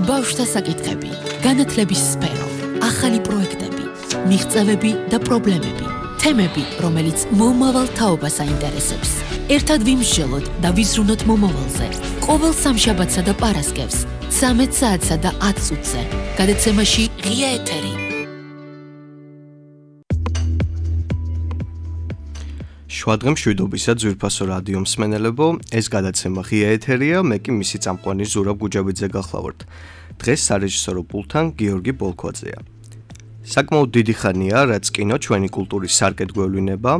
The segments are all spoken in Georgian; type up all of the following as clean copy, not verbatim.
ბავშვთა საკითხები, განათლების სფერო, ახალი პროექტები, მიღწევები და პრობლემები, თემები, რომელიც მომავალ თაობას აინტერესებს. ერთად ვიმსჯელოთ და ვიზრუნოთ მომავალზე. ყოველ სამშაბათსა და პარასკევს, 13 საათსა და 10 წუთზე. გადაცემაში ღია ეთერი. შვადღემ შვიდობისა ძვირფასო რადიო მსმენელებო, ეს გადაცემა ღია ეთერია, მე კი მისი წამყვანი ზურაბ გუჯაბიძე გახლავართ. დღეს სარეჟისორო პულტთან გიორგი ბოლქვაძეა. საკმაოდ დიდი ხანია, რაც კინო ჩვენი კულტურის სარკედ გვევლინება,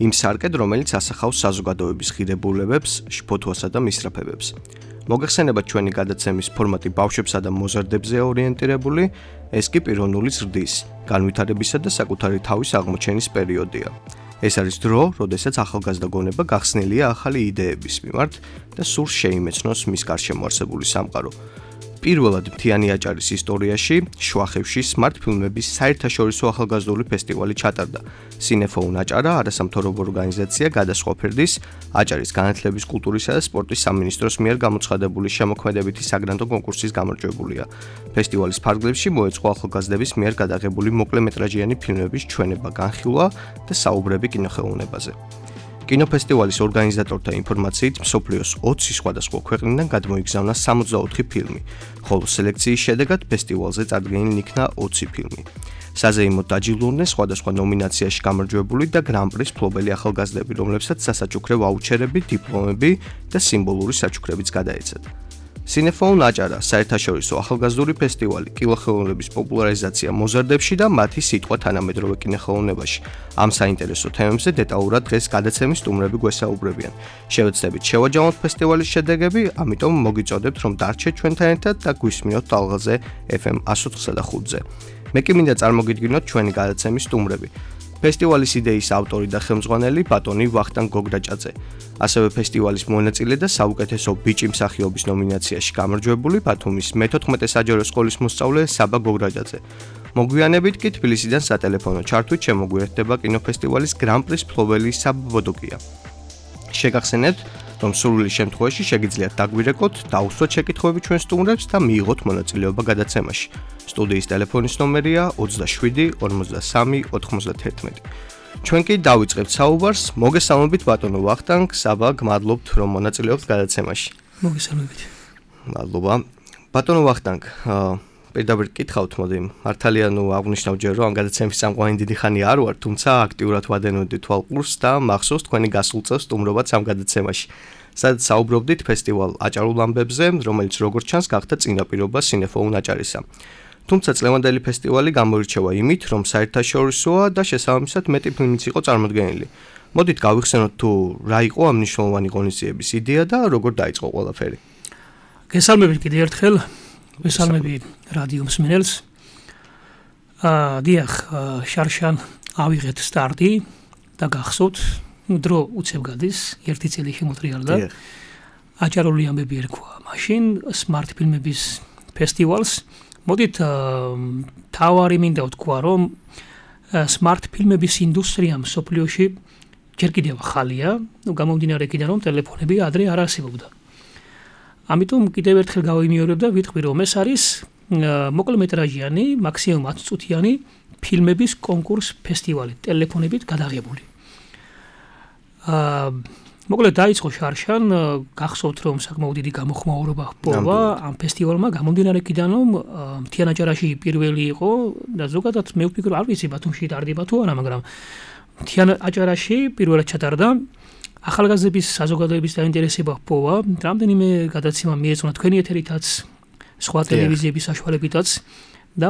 იმ სარკედ, რომელიც ასახავს საზოგადოების ღირებულებებს, შფოთვასა და მისწრაფებებს. მოგეხსენებათ ჩვენი გადაცემის ფორმატი ბავშვებსა და მოზარდებზეა ორიენტირებული, ეს კი პიროვნული ზრდის, განვითარებისა და საკუთარი თავის აღმოჩენის პერიოდია. ეს არის დრო, როდესაც ახალგაზრდა გონება გახსნილია ახალი იდეების მიმართ და სურს შეიმეცნოს მის გარშემო არსებული სამყარო. პირველად მთიანი აჭარის ისტორიაში შვახევში smart ფილმების საერთაშორისო ახალგაზრდული ფესტივალი ჩატარდა. Cinefone აჭარა არასამთავრობო ორგანიზაცია გადასხვა ფერდის აჭარის განათლების, კულტურისა და სპორტის სამინისტროს მიერ გამოცხადებული შემოქმედებითი საგრანტო კონკურსის გამარჯვებულია. ფესტივალის ფარგლებში მოეწყო ახალგაზრდების მიერ გადაღებული მოკლემეტრაჟიანი ფილმების ჩვენება, განხილვა და საუბრები კინოხელოვნებაზე. კინოფესტივალის ორგანიზატორთა ინფორმაციით მსოფლიოს 20 სხვადასხვა ქვეყნიდან გადმოიგზავნა 64 ფილმი, ხოლო სელექციის შედეგად ფესტივალზე წარდგენილ იქნა 20 ფილმი. საზეიმოდ დაჯილდოვდნენ სხვადასხვა ნომინაციაში გამარჯვებული და გრან-პრის მფლობელი ახალგაზრდები, რომლებსაც სასაჩუქრე ვაუჩერები, დიპლომები და სიმბოლური საჩუქრებიც გადაეცათ. Cinefone აჭარა საერთაშორისო ახალგაზრდული ფესტივალი კინოხელოვნების პოპულარიზაცია მოზარდებში და მათი სიტყვა თანამედროვე კინოხელოვნებაში. ამ საინტერესო თემებზე დეტალურად დღეს გადაცემის სტუმრები გვესაუბრებიან. შევეცდებით შევაჯამოთ ფესტივალის შედეგები, ამიტომ მოგიწოდებთ, რომ დარჩეთ ჩვენთან ერთად და გვისმინოთ ტალღაზე FM 104.5-ზე. მე კი მინდა წარმოგიდგინოთ ჩვენი გადაცემის სტუმრები. ფესტივალის იდეის ავტორი და ხელმძღვანელი ბატონი ვახტანგ გოგრაჭაძე. ასევე ფესტივალის მონაწილე და საუკეთესო ბიჭი მსახიობის ნომინაციაში გამარჯვებული ბათუმის მე-14 საჯარო სკოლის მოსწავლე საბა გოგრაჭაძე. მოგვიანებით კი თბილისიდან სატელეფონო ჩართვით შემოგვიერთდება კინოფესტივალის გრან-პრის მფლობელი საბა ბოდოკია. შეგახსენებთ, რომ სურვილის შემთხვევაში შეგიძლიათ დაგვირეკოთ, დაუსვათ შეკითხვები ჩვენ სტუმრებს და მიიღოთ მონაწილეობა გადაცემაში. სტუდიის ტელეფონის ნომერია 27 53 91. ჩვენ კი დავიწყებთ საუბარს. მოგესალმებით ბატონო ვახტანგ, საბა, გმადლობთ რომ მონაწილეობთ გადაცემაში. მოგესალმებით. მადლობა. ბატონო ვახტანგ, პირდაპირ გითხავთ, მოდი, მართალია აღნიშნავ ჯერ რომ ამ გადაცემის წამყვანი დიდი ხანი არ ვარ, თუმცა აქტიურად ვადენოდი თვალყურს და მახსოვს თქვენი გასულ წელს სტუმრობაც ამ გადაცემაში. სადაც საუბრობდით ფესტივალ აჭარულ ამბებზე, რომელიც როგორც ჩანს გახდა წინაპირობა Cinefone აჭარისა. თუმცა წლევანდელი ფესტივალი გამოირჩევა იმით, რომ საერთაშორისოა და შესაბამისად მეტი ფილმიც იყო წარმოდგენილი. მოდით გავიხსენოთ თუ რა იყო ამ მნიშვნელოვანი ღონისძიების იდეა და როგორ დაიწყო ყველაფერი. გესალმებით კიდევ ერთხელ. გესალმები რადიო მსმენელს. დიახ, შარშან ავიღეთ სტარტი და გახსოვთ, დრო უცებ გადის, ერთი წელი შემოტრიალდა. აჭარული ამბები ერქვა მაშინ smart ფილმების ფესტივალს. მოდით თავარი მინდა ვთქვა, რომ smart ფილმების ინდუსტრია მსოფლიოში ჯერ კიდევ ახალია, გამომდინარე იქიდან რომ ტელეფონები ადრე არ არსებობდა. ამიტომ კიდევ ერთხელ გავიმეორებ და ვიტყვი, რომ ეს არის მოკლემეტრაჟიანი, მაქსიმუმ 10 წუთიანი ფილმების კონკურს ფესტივალი, ტელეფონებით გადაღებული. მოკლედ დაიწყო შარშან, გახსოვთ რომ საკმაოდ დიდი გამოხმაურება ჰპოვა ამ ფესტივალმა, გამომდინარე იქიდან რომ მთიან აჭარაში პირველი იყო და ზოგადად მე ვფიქრობ, არ ვიცი ბათუმში ტარდება თუ არა, მაგრამ მთიან აჭარაში პირველად ჩატარდა. ახალგაზრდების საზოგადოების დაინტერესება ჰპოვა, რამდენიმე გადაცემა მიეწონა თქვენი ეთერითაც, სხვა ტელევიზიების საშუალებითაც და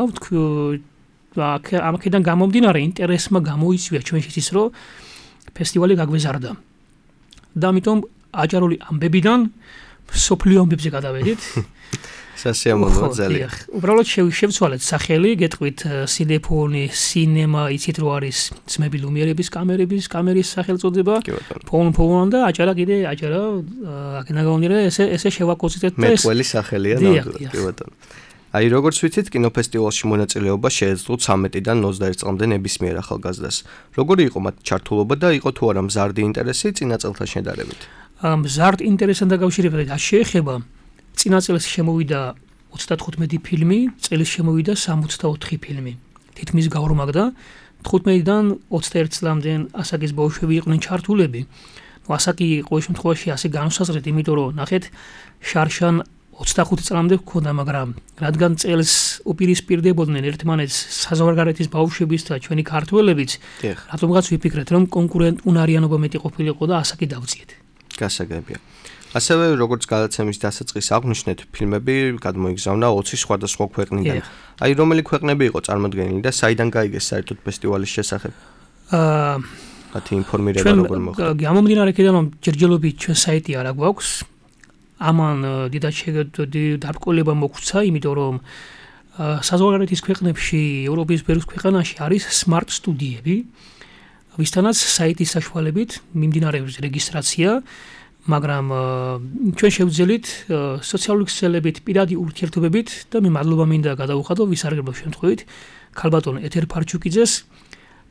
ამქედან გამომდინარე ინტერესმა გამოიწვია ჩვენშიც ის, რომ ფესტივალი გაგვეზარდა. და ამიტომ აჭარული ამბებიდან სოფლიო ამბებზე გადავედით. სასიამოვნოა ძალიან. უბრალოდ შევცვალეთ სახელი, გეტყვით Cinefone, Cinema, იცით რომ არის ძმები ლუმიერების კამერის სახელწოდება. ფონ და აჭარა კიდე აჭარა აქედან გამომდინარე ესე შევაკოცეთ და ეს მეტყველი სახელია ნამდვილად, კი ბატონო. აი როგორც ვიცით, კინოფესტივალში მონაწილეობა შეეძლო 13-დან 21 წლამდე ნებისმიერ ახალგაზრდას. როგორი იყო მათ ჩართულობა და იყო თუ არა მზარდი ინტერესი წინა წელთან შედარებით? მზარდ ინტერესთან დაკავშირებით არ შეეხება. წინა წელს შემოვიდა 35 ფილმი, წელს შემოვიდა 64 ფილმი. თითქმის გაორმაგდა. 15-დან 21 წლამდე ასაკის ბავშვები იყვნენ ჩართულები. ასაკი ყოველ შემთხვევაში ასე განსაზღვრეთ, იმიტომ რომ ნახეთ შარშან 25 წლამდე ჰქონდა, მაგრამ რადგან წელს უპირისპირდებოდნენ ერთმანეთს საზღვარგარეთის ბავშვებიც და ჩვენი ქართველებიც, რატომღაც ვიფიქრეთ, რომ კონკურენტუნარიანობა მეტი ყოფილიყო და ასაკი დავწიეთ. გასაგებია. ასევე როგორც გადაცემის დასაწყისს აღვნიშნეთ, ფილმები გადმოიგზავნა 20 სხვადასხვა ქვეყნიდან. აი, რომელი ქვეყნები იყო წარმოდგენილი და საიდან გაიგეს საერთოდ ფესტივალის შესახებ? მათი ინფორმირება როგორ მოხდა? გამომდინარე იქიდან, რომ ჯერჯერობით ჩვენ საიტი არ გვაქვს, ამან დიდად დარბკოლება მოგვცა, იმიტომ რომ საზღვარგარეთის ქვეყნებში, ევროპის ბევრ ქვეყანაში არის smart სტუდიები, ვისთანაც საიტის საშუალებით მიმდინარეობს რეგისტრაცია, მაგრამ ჩვენ შევძელით სოციალური ქსელებით, პირადი ურთიერთობებით და მე მადლობა მინდა გადავუხადო ვისარგებლო შემთხვევით ქალბატონ ეთერ ფარჩუკიძეს,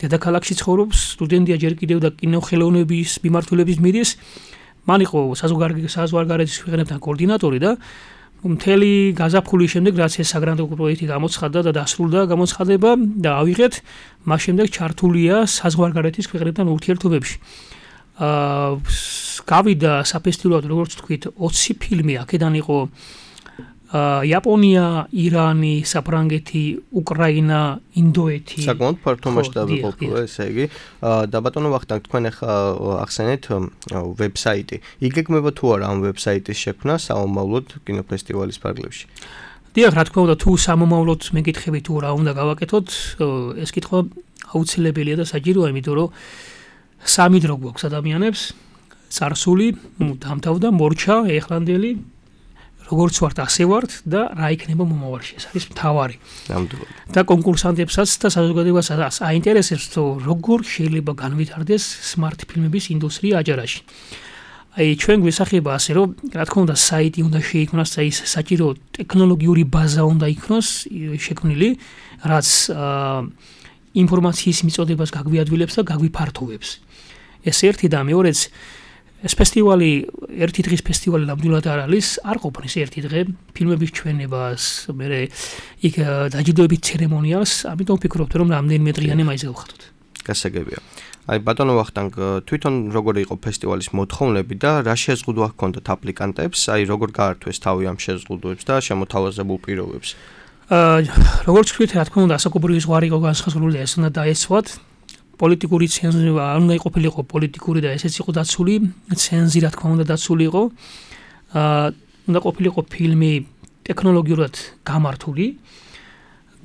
დედაქალაქში ცხოვრობს, სტუდენტია ჯერ კიდევ და კინოხელოვნების მიმართულების მირის, მან იყო საზღვარგარეთის ქვეყნებთან კოორდინატორი და მთელი გაზაფხულის შემდეგ რაც ეს საგრანდო პროექტი გამოცხადდა და დასრულდა გამოცხადება და ავიღეთ, მას შემდეგ ჩართულია საზღვარგარეთის ქვეყნებთან ურთიერთობებში. გავიდა საფესტივალოდ, როგორც თქვით, 20 ფილმი, აქედან იყო იაპონია, ირანი, საფრანგეთი, უკრაინა, ინდოეთი. საკმაოდ ფართო მასშტაბი ყოფილა, ესე იგი. და ბატონო ვახტანგ, თქვენ ახლა ახსენეთ ვებსაიტი. იგეგმება თუ არა ამ ვებსაიტის შექმნა სამომავლოდ კინოფესტივალის ფარგლებში? დიახ, რა თქმა უნდა, თუ სამომავლოდ მეკითხებით თუ რა უნდა გავაკეთოთ, ეს კითხვა აუცილებელია და საჭიროა, იმიტომ რომ სამი დრო გვაქვს ადამიანებს, წარსული, დამთავრდა, მორჩა, ეხლანდელი, როგორც ვართ, ასე ვართ და რა იქნება მომავალში, ეს არის მთავარი. ნამდვილად. და კონკურსანტებსაც და საზოგადოებასაც აინტერესებს, რომ როგორ შეიძლება განვითარდეს smart ფილმების ინდუსტრია აჯარაში. აი, ჩვენ გვესახება ასე, რომ რა თქმა უნდა, საიტი უნდა შეიქმნას და ის საჭირო ტექნოლოგიური ბაზა უნდა იქნოს შექმნილი, რაც ინფორმაციის მიწოდებას გაგვიადვილებს და გაგვიფართოვებს. ეს ერთი და მეორეც ეს ფესტივალი, ერთი დღის ფესტივალი ნამდვილად არ არის, არ ყოფნის ერთი დღე ფილმების ჩვენებას, მერე იქ დაჯილდოების ცერემონიალს, ამიტომ ვფიქრობთ, რომ რამდენიმე დღიანი მაინც გავხატოთ. გასაგებია. აი, ბატონო ვახტანგ, თვითონ როგორი იყო ფესტივალის მოთხოვნები და რა შეზღუდვა ჰქონდათ აპლიკანტებს, აი როგორ გაართვეს თავი ამ შეზღუდვებს და შემოთავაზებულ პირობებს? როგორც ვთქვით, რა თქმა უნდა, ასაკობრივი ზღვარი იყო განსხვავებული და ეს უნდა დაეცვათ. პოლიტიკური ცენზურა არ უნდა იყოფილიყო პოლიტიკური და ესეც იყო დაცული, ცენზი რა თქმა უნდა დაცული იყო. უნდა ყოფილიყო ფილმი ტექნოლოგიურად გამართული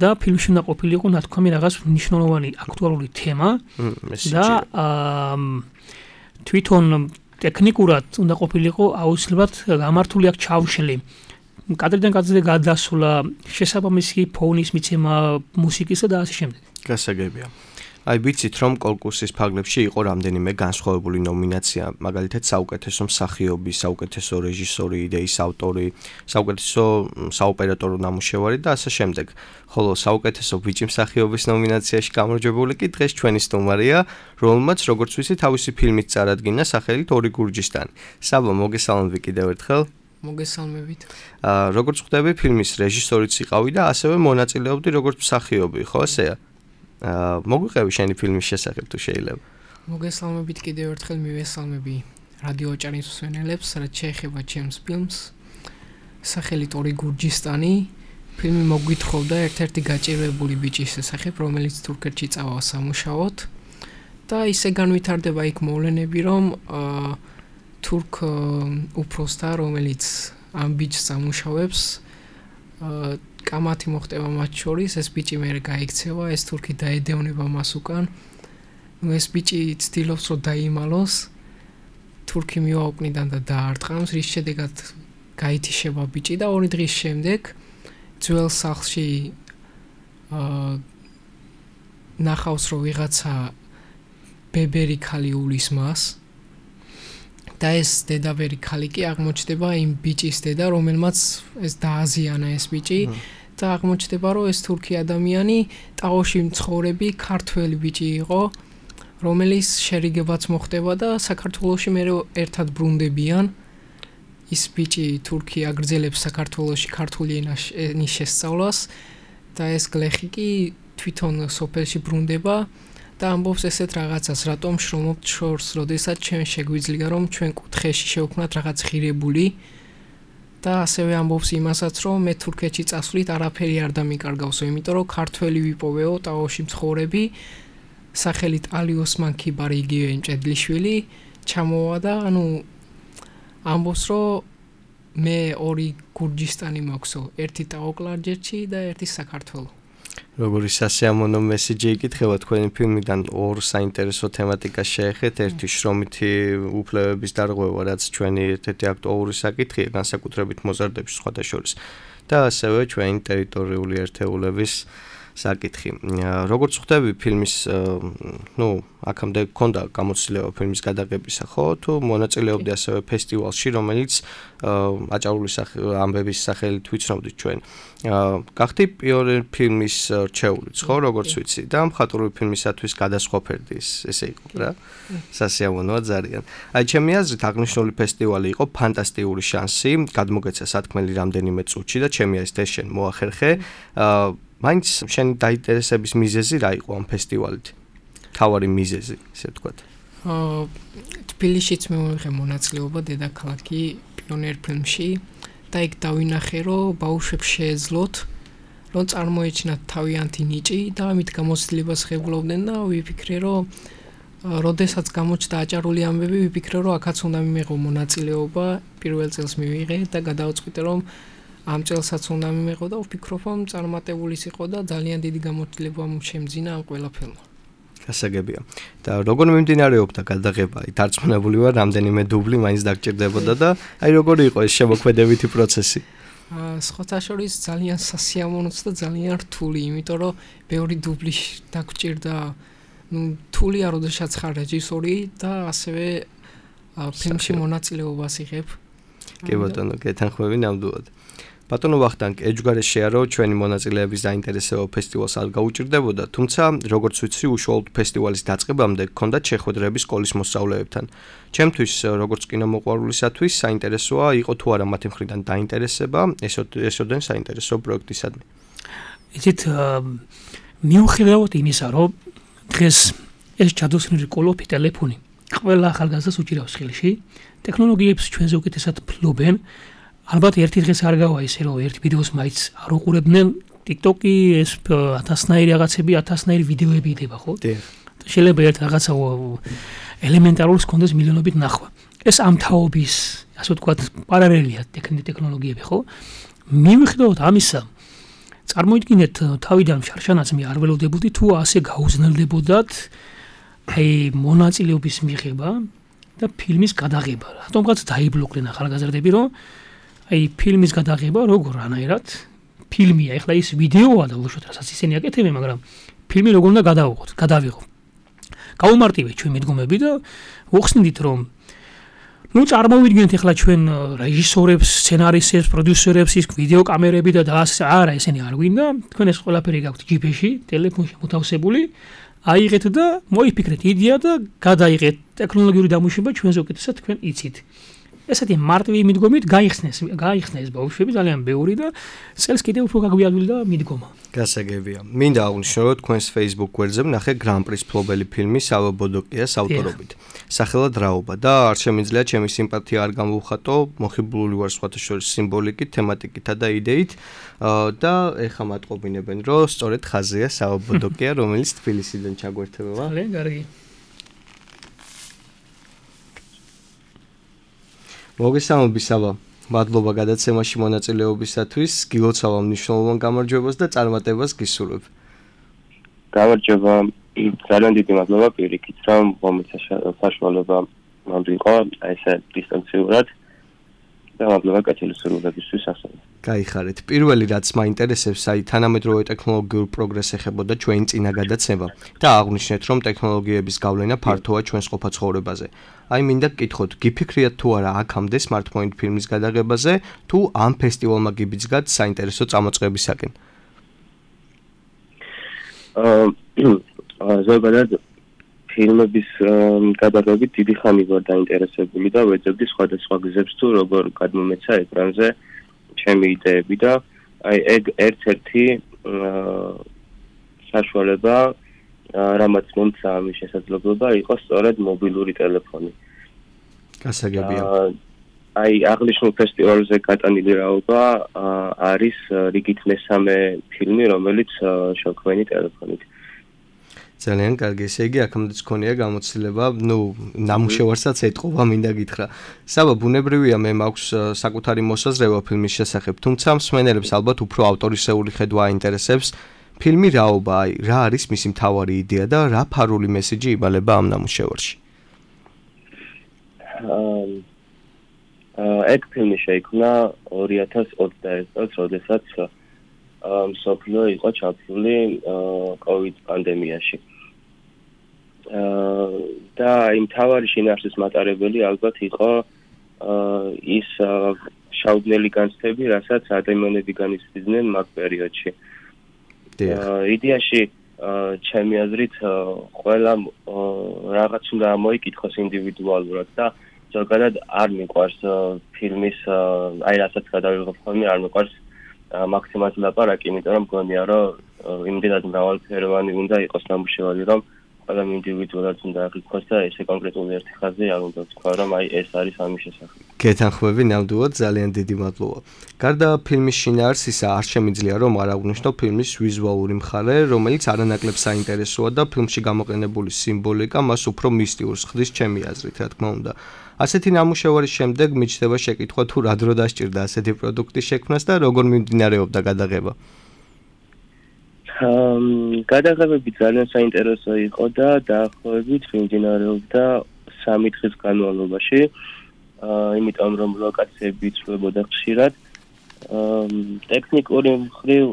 და ფილმში უნდა ყოფილიყო ნათქვამი რაღაც მნიშვნელოვანი აქტუალური თემა და თვითონ ტექნიკურად უნდა ყოფილიყო აუცილებლად გამართული აქ ჩაუშლი. კადრიდან კადრზე გადასვლა, შესაბამისი ფონის მიცემა, მუსიკისა და ასე შემდეგ. გასაგებია. აი, ვიცით, რომ კონკურსის ფარგლებში იყო რამდენიმე განსხვავებული ნომინაცია, მაგალითად საუკეთესო მსახიობი, საუკეთესო რეჟისორი, იდეის ავტორი, საუკეთესო საოპერატორო ნამუშევარი და ასე შემდეგ. ხოლო საუკეთესო ბიჭი მსახიობის ნომინაციაში გამარჯვებული კი დღეს ჩვენი სტუმარია, რომელმაც როგორც ვიცი, თავისი ფილმით წარადგინა სახელით ორი გურჯისტანი. საბა, მოგესალმები კიდევ ერთხელ. მოგესალმებით. როგორც ხვდები, ფილმის რეჟისორიც იყავი და ასევე მონაწილეობდი როგორც მსახიობი, ხო ესეა? მოგვიყევი შენი ფილმის შესახებ თუ შეიძლება? მოგესალმებით კიდევ ერთხელ მივესალმები რადიო ოჭარის მსმენელებს, რაც შეეხება ჩემს ფილმს. სახელით ორი გურჯისტანი. ფილმი მოგვითხოვდა ერთ-ერთი გაჭირვებული ბიჭის შესახებ, რომელიც თურქეთში წავა სამუშაოდ და ისე განვითარდება იქ მოვლენები, რომ თურქ უფროსთა, რომელიც ამ ბიჭს სამუშაოებს, კამათი მოხდება მათ შორის, ეს ბიჭი მერე გაიქცევა, ეს თურქი დაედევნება მას უკან. ეს ბიჭი ცდილობს რომ დაიმალოს, თურქი მიაუკნიდან და დაარტყამს, რის შედეგად გაითიშება ბიჭი და 2 დღის შემდეგ ძველ სახლში ნახავს რომ ვიღაცა ბებერი ქალი უვლის მას და ეს დედაბერი ქალი კი აღმოჩნდება იმ ბიჭის დედა, რომელმაც ეს დააზიანა ეს ბიჭი და აღმოჩნდება რომ ეს თურქი ადამიანი ტაოში მცხოვრები ქართველი ბიჭი იყო, რომელიც შერიგებაც მოხდება და საქართველოში მე ერთად ბრუნდებიან ის ბიჭი თურქი აგრძელებს საქართველოში ქართული ენის შესწავლას და ეს გლეხი კი თვითონ სოფელში ბრუნდება და ამბობს ესეთ რაღაცას, რატომ შრომობთ შორს, როდესაც ჩვენ შეგვიძლია რომ ჩვენ კუთხეში შევქმნათ რაღაც ღირებული და ასევე ამბობს იმასაც, რომ მე თურქეთში წასვლით არაფერი არ დამიკარგავსო, იმიტომ რომ ქართველი ვიპოვეო, ტაოში მცხოვრები, სახელით ალი ოსმან ქიბარი იგივე მჭედლიშვილი ჩამოვა და ამბობს, რომ მე ორი გურჯისტანი მაქვსო, ერთი ტაო-კლარჯეთში და ერთი საქართველო. როგორი სასიამოვნო მესიჯი იკითხება თქვენი ფილმიდან ორ საინტერესო თემატიკას შეეხეთ, ერთი შრომითი უფლებების დარღვევა, რაც ჩვენი ერთ-ერთი აქტუალური საკითხია, განსაკუთრებით მოზარდებში სხვადასხვა და ასევე ჩვენი ტერიტორიული ერთეულების საკითხი. როგორც ხვდები ფილმის, აქამდე გქონდა გამოცდილება ფილმის გადაღებისა, ხო? თუ მონაწილეობდი ასევე ფესტივალში, რომელიც აჭარული ამბების სახელით ვიცნობდით ჩვენ. გახდი პიონერ ფილმის რჩეულიც, ხო, როგორც ვიცი და მხატვრული ფილმისათვის გადასხვაფერდი ესე იყო რა. სასიამოვნოა ძალიან. აი ჩემი აზრით აღნიშნული ფესტივალი იყო ფანტასტიკური შანსი, გადმოგეცა სათქმელი რამდენიმე წუთში და ჩემი აზრით ეს შენ მოახერხე. მაინც შენი დაინტერესების მიზეზი რა იყო ამ ფესტივალით? თავარი მიზეზი, ესე ვთქვათ. თბილისშიც მე მივიღე მონაწილეობა დედაქალაქი პიონერ ფილმში და იქ დავინახე, რომ ბავშვებს შეეძლოთ, რომ წარმოეჩინათ თავიანთი ნიჭი და ამით გამოცდილებას ღებულობდნენ და ვიფიქრე, რომ როდესაც გამოჩნდა აჭარული ამბები, ვიფიქრე, რომ აქაც უნდა მიმეღო მონაწილეობა, პირველ წელს მივიღე და გადავწყვიტე, რომ ამ წელსაც უნდა მიმეღო და ვფიქრობ, რომ წარმატებულის იყო და ძალიან დიდი გამოცდილება შემძინა ამ ყველაფერმა. გასაგებია. და როგორ მიმდინარეობდა გადაღება? დარწმუნებული ვარ, რამდენიმე დუბლი მაინც დაგჭირდებოდა და აი როგორი იყო ეს შემოქმედებითი პროცესი? სხვათა შორის ძალიან სასიამოვნოც და ძალიან რთული, იმიტომ რომ ბევრი დუბლი დაგჭირდა. რთულია, როდესაც ხარ რეჟისორი და ასევე ფილმში მონაწილეობას იღებ. კი ბატონო, გეთანხმები ნამდვილად. ბატონო ვახტანგ, ეჯგარეშეა რომ ჩვენი მონაწილეების დაინტერესება ფესტივალს არ გაუჭირდებოდა, თუმცა როგორც ვიცი, უშუალოდ ფესტივალის დაწყებამდე გქონდათ შეხვედრები სკოლის მოსწავლეებთან. ჩემთვის, როგორც კინომოყვარულისათვის, საინტერესოა იყო თუ არა მათი მხრიდან დაინტერესება ესოდენ საინტერესო პროექტისადმი. იცით, მიუხედავად იმისა, რომ დღეს ეს ჩადოსნილი კოლოფი ტელეფონი ყველა ახალგაზრდას უჭირავს ხელში, ტექნოლოგიებს ჩვენზე უკეთესად ფლობენ. ალბათ ერთი დღეს არ გავა ისე რომ ერთ ვიდეოს მაინც არ უყურებდნენ TikTok-ი ეს 1000-ნაირი რაღაცები 1000-ნაირი ვიდეოები იდება ხო? შეიძლება ერთ რაღაცა ელემენტარულს კონდეს მილიონობით ნახვა. ეს ამ თაობის, ასე ვთქვათ, პარალელია ტექნოლოგიები ხო? მიუხედავად ამისა, წარმოიდგინეთ თავიდან შარშანაც მე არ ველოდებოდი თუ ასე გაუზნელდებოდათ აი მონაწილეობის მიღება და ფილმის გადაღება. რატომღაც დაიბლოკლენ ახალგაზრდები რომ აი ფილმის გადაღება როგორ რანაირად ფილმია, ეხლა ის ვიდეოა და უშუალოდ რასაც ისინი აკეთებენ, მაგრამ ფილმი როგორ უნდა გადავიღოთ. გაუმარტივეთ ჩვენ მიდგომები და ვხსნით რომ წარმოვიდგინეთ ეხლა ჩვენ რეჟისორებს, სცენარისტებს, პროდიუსერებს, ის ვიდეო კამერები და არა ესენი არ გვინდა, თქვენ ეს ყველაფერი გაქვთ ჯიპში, ტელეფონში მოთავსებული, აიღეთ და მოიფიქრეთ იდეა და გადაიღეთ ტექნოლოგიური დამუშავება ჩვენზე უკეთესად თქვენ იცით. ესეთი მარტივი მიდგომით გაიხსნეს ბავშვები ძალიან ბევრი და წელს კიდევ უფრო გაგვიადვილდა მიდგომა. გასაგებია. მინდა აღვნიშნო, რომ თქვენს Facebook გვერდზე ვნახე გრან-პრის ფლობელი ფილმი სავო ბოდოკიას ავტორობით. სახელად რაობა და არ შემიძლია ჩემი სიმპათია არ გამოვხატო, მოხიბლული ვარ სხვათა შორის სიმბოლიკით, თემატიკითა და იდეით და ეხა მატყობინებენ, რომ სწორედ ხაზია სავო ბოდოკია, რომელიც თბილისიდან ჩაგვერთვება. ძალიან კარგი. მოგესალმები სავო. მადლობა გადაცემაში მონაწილეობისათვის, გილოცავ მნიშვნელოვან გამარჯვებას და წარმატებას გისურვებ. გამარჯობა, ძალიან დიდი მადლობა პირიქით, რომ მომეცა საშუალება მომდიყო ესე დისტანციურად და მადლობა კაცელი სრულებისთვის ასევე. გაიხარეთ. პირველი რაც მაინტერესებს, აი თანამედროვე ტექნოლოგიურ პროგრესს ეხებოდა ჩვენი წინა გადაცემა და აღვნიშნეთ, რომ ტექნოლოგიების გავლენა ფართოა ჩვენს ყოფა ცხოვრებაზე. აი მინდა გკითხოთ, გიფიქრიათ თუ არა აქამდე smartphone ფილმის გადაღებაზე, თუ ამ ფესტივალმა გიბიძგათ საინტერესო წამოწყებისაკენ? ზოგადად ფილმების გადაღებით დიდი ხანი ვარ დაინტერესებული და ვეძებდი სხვადასხვა გზებს თუ როგორ გადმომეცა ეკრანზე ჩემი იდეები და აი ეგ ერთ-ერთი საშუალება რამაც მომცა ამის შესაძლებლობა იყო სწორედ მობილური ტელეფონი. გასაგებია. აი აღნიშნულ ფესტივალზე გატანილი რაობა არის რიგით მესამე ფილმი, რომელიც შევქმნი ტელეფონით. ძალიან კარგი, ესე იგი აქამდეც ქონია გამოცდილება, ნამუშევარსაც ეტყობა, მინდა გითხრა. საბა ბუნებრივია, მე მაქვს საკუთარი მოსაზრება ფილმის შესახებ, თუმცა მსმენელებს ალბათ უფრო ავტორისეული ხედვა აინტერესებს. ფილმი რაობა, აი, რა არის მისი მთავარი იდეა და რა ფარული მესიჯი იმალება ამ ნამუშევარში? ეგ ფილმი შეიქმნა 2021 წელს, როდესაც მსოფლიო იყო ჩაფლული COVID პანდემიაში. და იმ თავარი შინაარსის მატარებელი ალბათ იყო ის შაუდნელი განცდები, რასაც ადამიანები განიცდიდნენ მაგ პერიოდში. იდეაში ჩემი აზრით ყველა რაღაც უნდა მოიკითხოს ინდივიდუალურად და ზოგადად არ მიყვარს ფილმის აი რასაც გადავიღებ ხოლმე არ მიყვარს მაქსიმალურად ლაპარაკი, იმიტომ რომ მგონია რომ იმდენად მრავალფეროვანი უნდა იყოს ნამუშევარი, რომ ყველა ინდივიდუალურად უნდა აღიქواس და ესე კონკრეტული ერთი ხაზი არ უნდა თქვა, რომ აი ეს არის ამის შესახებ. გეთანხმები ნამდვილად, ძალიან დიდი მადლობა. გარდა ფილმის შინაარსისა, არ შემიძლია რომ არ აღვნიშნო ფილმის ვიზუალური მხარე, რომელიც არანაკლებ საინტერესოა და ფილმში გამოყენებული სიმბოლიკა მას უფრო მისტიურს ხდის ჩემი აზრით, რა თქმა უნდა. ასეთი ნამუშევარის შემდეგ მიჩნდება შეკითხვა თუ რა დრო დასჭირდა ასეთი პროდუქტის შექმნას და როგორ მიმდინარეობდა გადაღება. გადაღებები ძალიან საინტერესო იყო და დაახლოებით მიმდინარეობდა 3 დღის განმავლობაში, იმიტომ რომ ლოკაციები იცვლებოდა ხშირად. ტექნიკური მხრივ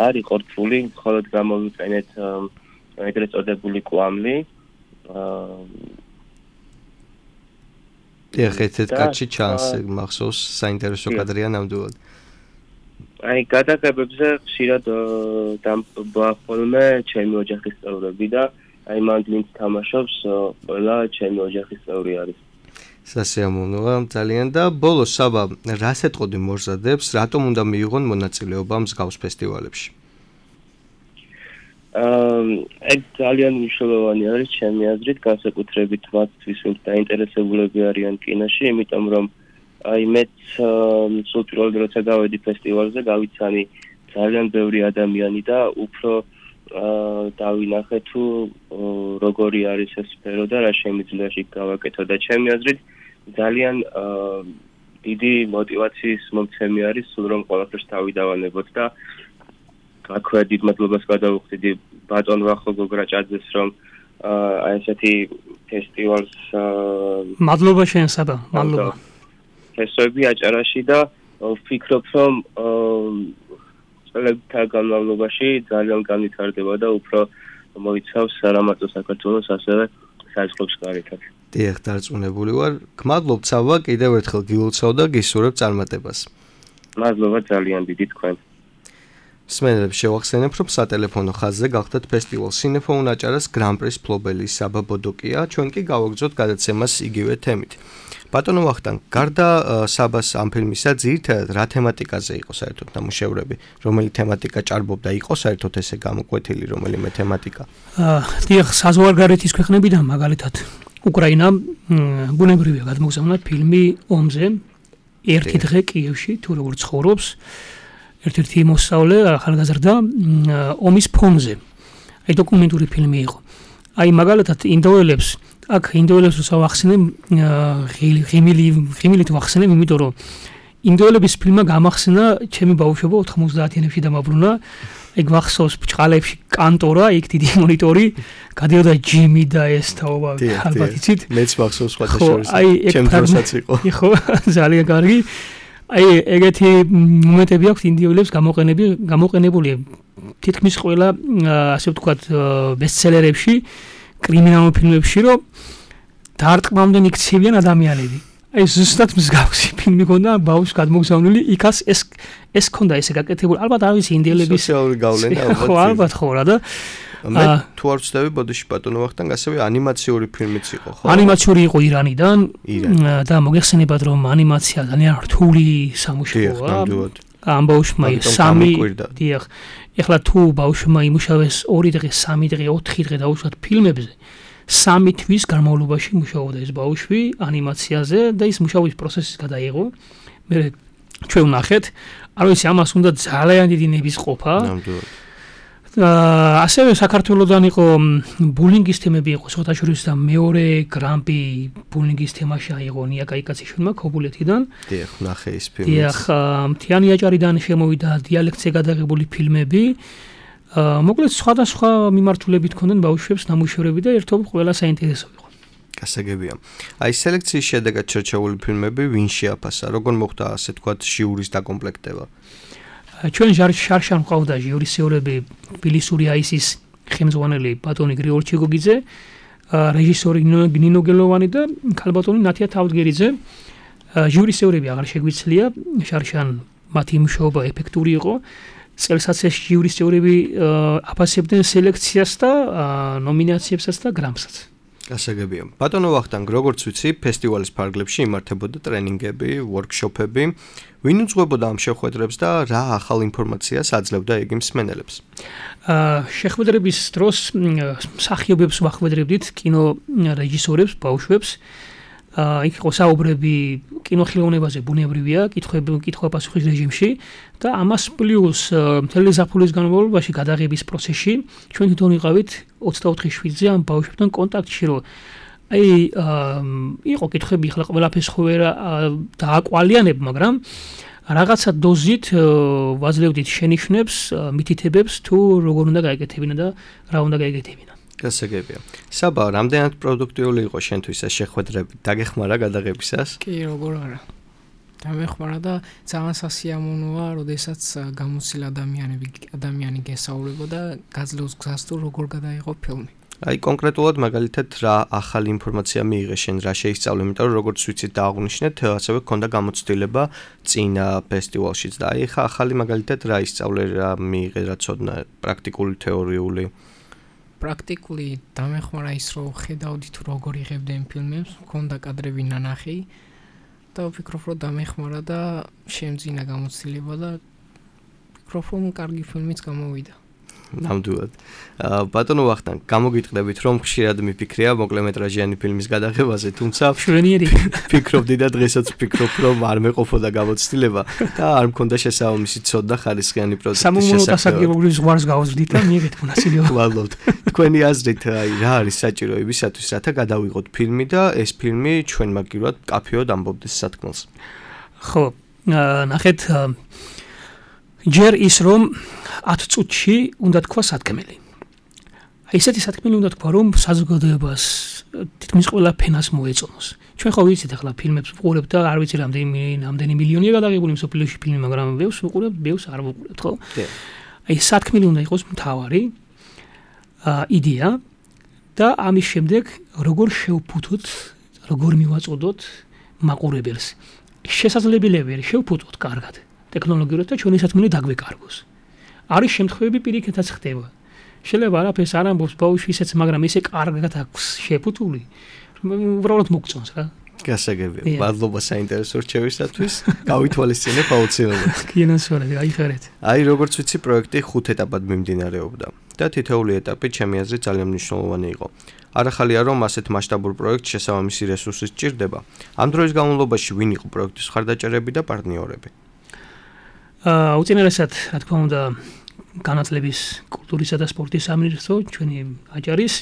არ იყო რთული, მხოლოდ გამოვიყენეთ ეგრეთ წოდებული კვამლი. ეხეთ კაცი ჩანს მახსოვს საინტერესო კადრია ნამდვილად. აი გადაღებებზე ხშირად დამტბა ხოლმე ჩემი ოჯახის წევრები და აი მან ვინც თამაშობს ყველა ჩემი ოჯახის წევრი არის. სასიამოვნოა ძალიან და ბოლოს საბა რას ეტყოდი მოზადებს, რატომ უნდა მიიღონ მონაწილეობა მსგავს ფესტივალებში? ეგ ძალიან მნიშვნელოვანი არის ჩემი აზრით, განსაკუთრებით მათთვის, ვინც დაინტერესებულები არიან კინოში, იმიტომ რომ აი მეც სულ პირველად როცა გავედი ფესტივალზე, გავიცანი ძალიან ბევრი ადამიანი და უფრო დავინახე თუ როგორი არის ეს სფერო და რა შემიძლია იქ გავაკეთო და ჩემი აზრით ძალიან დიდი мотиваციის მომცემი არის სულ რომ ყველაფერს თავი დავანებოთ და აქვე დიდ მადლობას გადავუხდიდი ბატონ ვახო გოგრაჭაძეს რომ აი ესეთი ფესტივალს მადლობა შენ საბა მადლობა ფესტივალი აჭარაში და ვფიქრობ რომ წლებთა განმავლობაში ძალიან განვითარდება და უფრო მოიცავს არამარტო საქართველოს ასევე საზღვრებს გარეთაც. დიახ, დარწმუნებული ვარ. გმადლობთ საბა, კიდევ ერთხელ გილოცავ და გისურვებ წარმატებას. მადლობა ძალიან დიდი თქვენ. მსმენელებს შევახსენებ, რომ სატელეფონო ხაზზე გახდათ ფესტივალ სინეფონ აჭარას გრან-პრის მფლობელი საბა ბოდოკია, ჩვენ კი გავაგრძოთ გადაცემას იგივე თემით. ბატონო ვახტანგ, გარდა საბას ამ ფილმისა ძირითადად რა თემატიკაზე იყო საერთოდ ნამუშევრები? რომელი თემატიკა ჭარბობდა? იყო საერთოდ ესე გამოკვეთილი რომელიმე თემატიკა? დიახ, საზღვარგარეთის ქვეყნებიდან მაგალითად უკრაინა ბუნებრივია გადმოგზავნა ფილმი ომზე, ერთი დღე კიევში, თუ როგორ ცხოვრობს ერთ-ერთი მოსწავლე ახალგაზრდა ომის ფონზე. აი დოკუმენტური ფილმი იყო. აი მაგალითად ინდოელებს აქ ინდოელებს ვახსენებ ღიმილით ვახსენებ, იმიტომ რომ ინდოელების ფილმმა გამახსენა ჩემი ბავშვობა 90-იანებში დამაბრუნა. აი გვახსოვს ბჭყალებში კანტორა, იქ დიდი მონიტორი, გადიოდა ჯიმი და ეს თაობა, ალბათ იცით? მეც ვახსოვს სხვათა შორის. ჩემ დროსაც იყო. ხო, ძალიან კარგი. აი ეგეთი მომენტები აქვს ინდოელებს გამოყენებული თითქმის ყველა ასე ვთქვათ ბესტსელერებში, კრიმინალურ ფილმებში, რომ დარტყმამდე იქცევიან ადამიანები. აი ზუსტად მსგავსი ფილმი ქონდა ბავშვს გადმოგზავნილი იქაც ეს ქონდა ესე გაკეთებული ალბათ არ ვიცი ინდიელების სოციალური გავლენა ალბათ ხო რა და მე თუ არ ვცდები ბოდიში ბატონო ვახტანგ ასევე ანიმაციური ფილმიც იყო ხო ანიმაციური იყო ირანიდან და მოგეხსენებათ რომ ანიმაცია ძალიან რთული სამუშაოა ამ ბავშვმა 3 დიახ ეხლა თუ ბავშვმა იმუშავეს 2 დღე 3 დღე 4 დღე დაუშვათ ფილმებზე 3 თვის განმავლობაში მუშაობდა ეს ბავშვი ანიმაციაზე და ის მუშაობის პროცესის გადაიღო მე ჩვენ ვნახეთ არ ვიცი ამას უნდა ძალიან დიდი ნების ყოფა ასევე საქართველოსდან იყო ბულინგის თემები იყო შოთაშორის და მეორე გრამპი ბულინგის თემაში აიღო ნია კაიკაციშვილმა ქობულეთიდან დიახ ვნახე ის ფილმი დიახ მთიანი აჭარიდან შემოვიდა დიალექტზე გადაღებული ფილმები მოკლედ სხვადასხვა მიმართულებით ქონდნენ ბავშვებს ნამუშევრები და ერთობ ყველა საინტერესო იყო გასაგებია აი სელექციის შედეგად ჩერჩეული ფილმები ვინ შეაფასა როგორ მოხდა ასე თქვათ ჟიურის დაკომპლექტება ჩვენ შარშან ყავდა ჟიურის წევრები ბილისური აისის ხელმძღვანელი ბატონი გრიგოლ ჩიგოგიძე რეჟისორი ნინო გელოვანი და ქალბატონი ნათია თავდგერიძე ჟიურის წევრები აღარ შეგვიცლია შარშან მათი მუშაობა ეფექტური იყო წელსაც ეს ჟიურის წევრები აფასებდნენ სელექციას და ნომინაციებსაც და გრამსაც გასაგებია ბატონო ვახტანგ როგორც ვიცი ფესტივალის ფარგლებში იმართებოდა ტრენინგები ვორქშოპები ვინ უძღვებოდა ამ შეხვედრებს და რა ახალ ინფორმაციას აძლევდა იგი მსმენელებს შეხვედრების დროს მსახიობებს ვახვედრებდით კინო რეჟისორებს ბავშვებს იქ იყო საუბრები კინოხილოვნებაზე ბუნებრივია კითხვა-პასუხის რეჟიმში და ამას პლუს მთელი ზაფხულის განმავლობაში გადაღების პროცესში ჩვენ თვითონ ვიყავით 24 შვიდზე ამ ბავშვებთან კონტაქტში რომ აი იყო კითხები ხლა ყველაფერს ხო ვერ დააკვალიანებ მაგრამ რაღაცა დოზით ვაძლევდით შენიშვნებს მითითებებს თუ როგორ უნდა გაეკეთებინა და რა უნდა გაეკეთებინა გასაგებია. საბა, რამდენად პროდუქტიული იყო შენთვის ეს შეხვედრები? დაგეხმარა გადაღებისას? კი, როგორ არა. დამეხმარა და ძალიან სასიამოვნოა, როდესაც გამოცდილ ადამიანი გესაუბრებოდა გაძლევს გზას თუ როგორ გადაიღო ფილმი. აი კონკრეტულად მაგალითად რა ახალი ინფორმაცია მიიღე შენ რა შეისწავლე, იმიტომ რომ როგორც ვიცით და აღვნიშნეთ, ასევე გქონდა გამოცდილება წინა ფესტივალშიც და აი ხა ახალი მაგალითად რა ისწავლე, რა მიიღე, რა ცოდნა, პრაქტიკული, თეორიული პრაქტიკული დამეხმარა ის რომ ხედავდი თუ როგორ იღებდნენ ფილმებს, მქონდა კადრები ნანახი და ვფიქრობ რომ დამეხმარა და შემძინა გამოცდილება და ვფიქრობ რომ კარგი ფილმიც გამოვიდა. ნამდვილად. ბატონო ვახტანგ, გამოგიტყდებით რომ ხშირად მიფიქრია მოკლემეტრაჟიანი ფილმის გადაღებაზე, თუმცა შვენიერი ფიქრობდი და დღესაც ვფიქრობ რომ არ მეყოფოდა გამოცდილება და არ მქონდა შესაძლებლობა ცოდნა ხარისხიანი პროდუქტის შესაძლებლობა. სამომავლო დასაგებობის ზღვარს გავაზრდით და მიიღეთ მონაწილეობა. ვალობთ. თქვენი აზრით აი რა არის საჭირო იმისათვის, რათა გადავიღოთ ფილმი და ეს ფილმი ჩვენ მაგივრად კაფეოდ ამბობდეს სათქმელს. ხო, ნახეთ ჯერ ის რომ 10 წუთში უნდა თქვა სათქმელი. აი ესეთი სათქმელი უნდა თქვა რომ საზოგადოებას თითქმის ყველა ფენას მოეწონოს. ჩვენ ხო ვიცით ახლა ფილმებს ვყურებთ და არ ვიცი რამდენი მილიონია გადაღებული მსოფლიოში ფილმი, მაგრამ ბევრს ვყურებთ, ბევრს არ ვყურებთ, ხო? აი სათქმელი უნდა იყოს მთავარი იდეა და ამის შემდეგ როგორ შევფუთოთ, როგორ მივაწოდოთ მაყურებელს. შესაძლებელია შევფუთოთ კარგად. ტექნოლოგიურად და ჩვენი სათქმელი დაგვეკარგოს. არის შემთხვევები პირიქითაც ხდება. შეიძლება არაფერს არ ამბობს ბავშვი ისეც, მაგრამ ისე კარგად აქვს შეფუთული, უბრალოდ მოგწონს რა. გასაგებია. მადლობა საინტერესო რჩევისათვის. გავითვალისწინებ აუცილებლად. კინოსურათი, აიხარეთ. აი როგორც ვიცი, პროექტი 5 ეტაპად მიმდინარეობდა და თითოეული ეტაპი ჩემი აზრით ძალიან მნიშვნელოვანი იყო. არ ახალია რომ ასეთ მასშტაბურ პროექტს შესაბამისი რესურსი სჭირდება. ამ დროის განმავლობაში ვინ იყო პროექტის მხარდაჭერები და პარტნიორები? უწინარესად, რა თქმა უნდა, განათლების, კულტურისა და სპორტის სამინისტრო ჩვენი აჭარის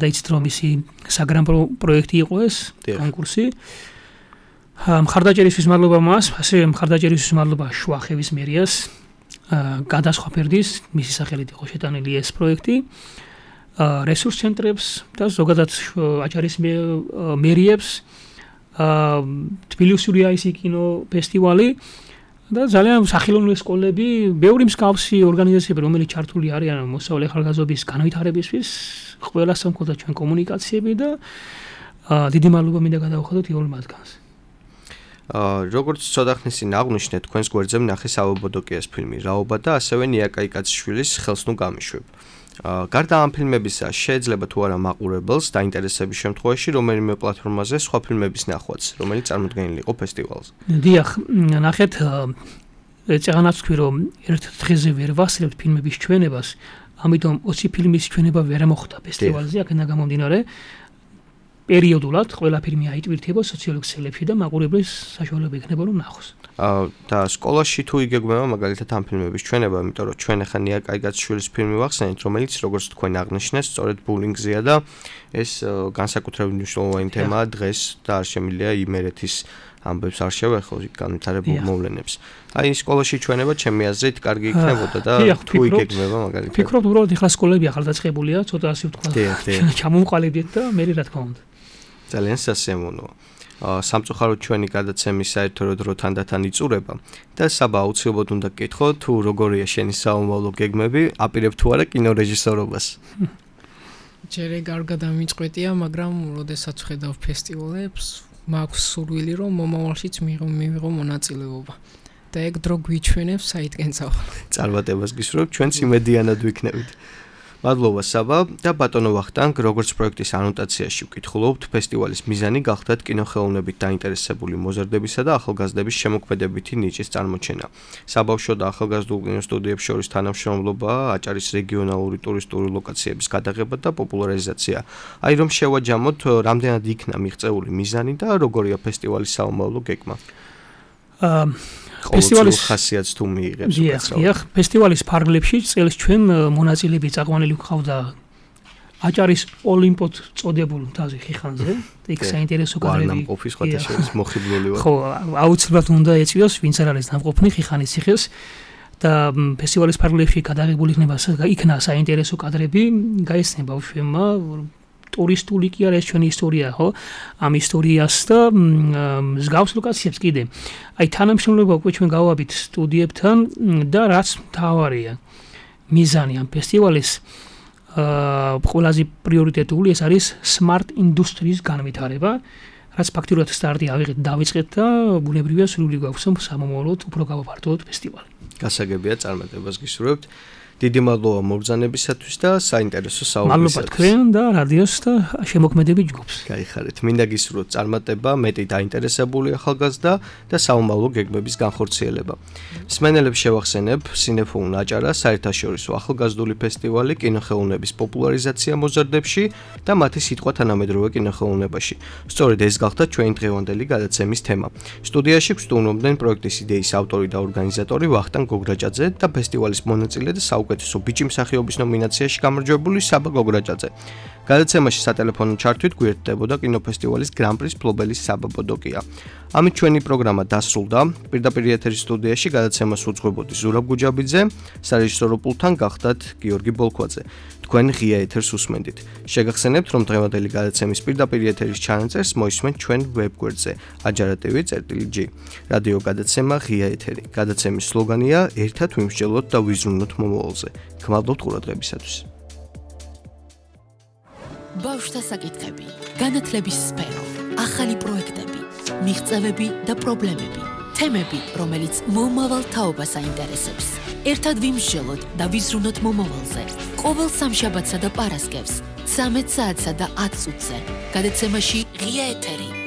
და იცით რომ ისი საგრამპრო პროექტი იყო ეს კონკურსი. მხარდაჭერისთვის მადლობა მას, ასევე მხარდაჭერისთვის მადლობა შუახევის მერიას. გადასხვა ფერდის მისი სახელით იყო შეტანილი ეს პროექტი. რესურს ცენტრებს და ზოგადად აჭარის მერიებს, თბილისური აისი კინო ფესტივალი და ძალიან სახელოვნური სკოლები, ბევრი მსგავსი ორგანიზაციები, რომელიც ჩართული არიან მოსწავლე ახალგაზრდობის განვითარებისთვის, ყველასთან მქონდა ჩვენ კომუნიკაციები და დიდი მადლობა მინდა გადავხადოთ იოლ მათგანს. როგორც ცოტახნისინ აღნიშნეთ, თქვენს გვერდზე ვნახე საბაბოდოკიას ფილმი რაობა და ასევე ნიაკაიკაციშვილის ხელსნუ გამიშვებ. გარდა ამ ფილმებისა, შეიძლება თუ არა მაყურებელს დაინტერესების შემთხვევაში რომელიმე პლატფორმაზე სხვა ფილმების ნახვაც, რომელიც წარმოდგენილი იყო ფესტივალზე. დიახ, ნახეთ, წეგანაც ვთქვი, რომ ერთ დღეზე ვერ ვასწრებთ ფილმების ჩვენებას, ამიტომ 20 ფილმის ჩვენება ვერ მოხდა ფესტივალზე, აქედან გამომდინარე, პერიოდულად ყველა ფილმი აიტვირთება სოციალურ ქსელებში და მაყურებლის საშუალება იქნება რომ ნახოს. და სკოლაში თუ იგეგმება მაგალითად ამ ფილმების ჩვენება, იმიტომ რომ ჩვენ ახლა ნიაკაიკაციშვილის ფილმი ვახსენეთ, რომელიც როგორც თქვენ აღნიშნეთ, სწორედ ბულინგზეა და ეს განსაკუთრებით მნიშვნელოვანი თემაა დღეს და არ შემიძლია იმერეთის ამბებს არ შევეხო განვითარებულ მოვლენებს. აი სკოლაში ჩვენება ჩემი აზრით კარგი იქნებოდა და თუ იგეგმება მაგალითად. ფიქრობ უბრალოდ ახლა სკოლები ახალდაწყებულია, ცოტა ასე ვთქვა. ჩამომყალიბდეთ და მე რა თქმა უნდა. ძალიან სასიამოვნოა. სამწუხაროდ ჩვენი გადაცემის საერთო დრო თანდათან იწურება და საბა აუცილებლად უნდა გკითხო თუ როგორია შენი საომავლო გეგმები, აპირებ თუ არა კინორეჟისორობას. ჯერ ეგ არ გადამიწყვეტია, მაგრამ როდესაც ვხედავ ფესტივალებს, მაქვს სურვილი რომ მომავალშიც მივიღო მონაწილეობა. და ეგ დრო გვიჩვენებს საითკენ წავალ. წარმატებას გისურვებ, ჩვენც იმედიანად ვიქნებით. მადლობა საბა და ბატონო ვახტანგ, როგორც პროექტის ანოტაციაში ვკითხულობთ, ფესტივალის მიზანი გახდათ კინოხელოვნებით დაინტერესებული მოზარდებისა და ახალგაზრდების შემოქმედებითი ნიჭის წარმოჩენა. საბავშვო და ახალგაზრდულ კინოსტუდიებს შორის თანამშრომლობა, აჭარის რეგიონალური ტურისტული ლოკაციების გადაღება და პოპულარიზაცია. აი რომ შევაჯამოთ, რამდენად იქნა მიღწეული მიზანი და როგორია ფესტივალის საომავლო გეგმა. ფესტივალის ხასიათს თუ მიიღებს უკაცრავად. ფესტივალის ფარგლებში წელს ჩვენ მონაწილეები წაყვანილი გვყავდა აჭარის ოლიმპოდ წოდებულ მთაზე ხიხანზე. იქ საინტერესო კადრები. ნამყოფი სხვათა შორის მოხიბლული ვარ. ხო, აუცილებლად უნდა ეწვიოს, ვინც არ არის ნამყოფნი ხიხანის ციხეს და ფესტივალის ფარგლებში გადაღებული იქნა საინტერესო კადრები, გაეცნია ბავშვებმა ტურისტული კი არა ეს ჩვენი ისტორია, ხო? ამ ისტორიას და მსგავს ლოკაციებს კიდე. აი თანამშრომლობა უკვე ჩვენ გავაბით სტუდიებთან და რაც მთავარია, მიზანი ამ ფესტივალის ყველაზე პრიორიტეტული ეს არის smart industries განვითარება, რაც ფაქტიურად სტარტი დავიწყეთ და ბუნებრივია სრული გვაქვს სამომავლოდ უფრო გავაფართოვოთ ფესტივალი. გასაგებია, წარმატებას გისურვებთ. დიდი მადლობა მობრძანებისათვის და საინტერესო საუბრისათვის. მადლობა თქვენ და რადიოს და შემოქმედებით ჯგუფს. გაიხარეთ. მინდა გისურვოთ წარმატება, მეტი დაინტერესებული ახალგაზრდა და საომავლო გეგმების განხორციელება. მსმენელებს შევახსენებ, სინეფონ აჭარა საერთაშორისო ახალგაზრდული ფესტივალი კინოხელოვნების პოპულარიზაცია მოზარდებში და მათი სიტყვა თანამედროვე კინოხელოვნებაში. სწორედ ეს გახდა ჩვენი დღევანდელი გადაცემის თემა. სტუდიაში გვსტუმრობდნენ პროექტის იდეის ავტორი და ორგანიზატორი ვახტანგ გოგრაჭაძე და ფესტივალის მონაწილე და საუკეთესო ბიჭი მსახიობის ნომინაციაში გამარჯვებული საბა გოგრაჭაძე. გადაცემაში სატელეფონო ჩართვით გვერდებოდა კინოფესტივალის გრან-პრის მფლობელი საბა ბოდოკია. ამით ჩვენი პროგრამა დასრულდა. პირდაპირ ეთერის სტუდიაში გადაცემას უძღვებოდი ზურაბ გუჯაბიძე, სარეჟისორო პულტთან გახდათ გიორგი ბოლქვაძე. თქვენ ღია ეთერს უსმენდით. შეგახსენებთ, რომ დღევანდელი გადაცემის პირდაპირ ეთერის ჩანაწერს მოისმენთ ჩვენ ვებგვერდზე ajara.tv/g. რადიო გადაცემა ღია ეთერი. გადაცემის სლოგანია ერთად ვიმსჯელოთ და ვიზრუნოთ მომავალზე. გმადლობთ ყურადღებისათვის. ბავშვთა საკითხები, განათლების სფერო, ახალი პროექტები, მიღწევები და პრობლემები, თემები, რომელიც მომავალ თაობას აინტერესებს. ერთად ვიმსჯელოთ და ვიზრუნოთ მომავალზე. ყოველ სამშაბათსა და პარასკევს 13 საათსა და 10 წუთზე. გადაცემაში ღია ეთერი.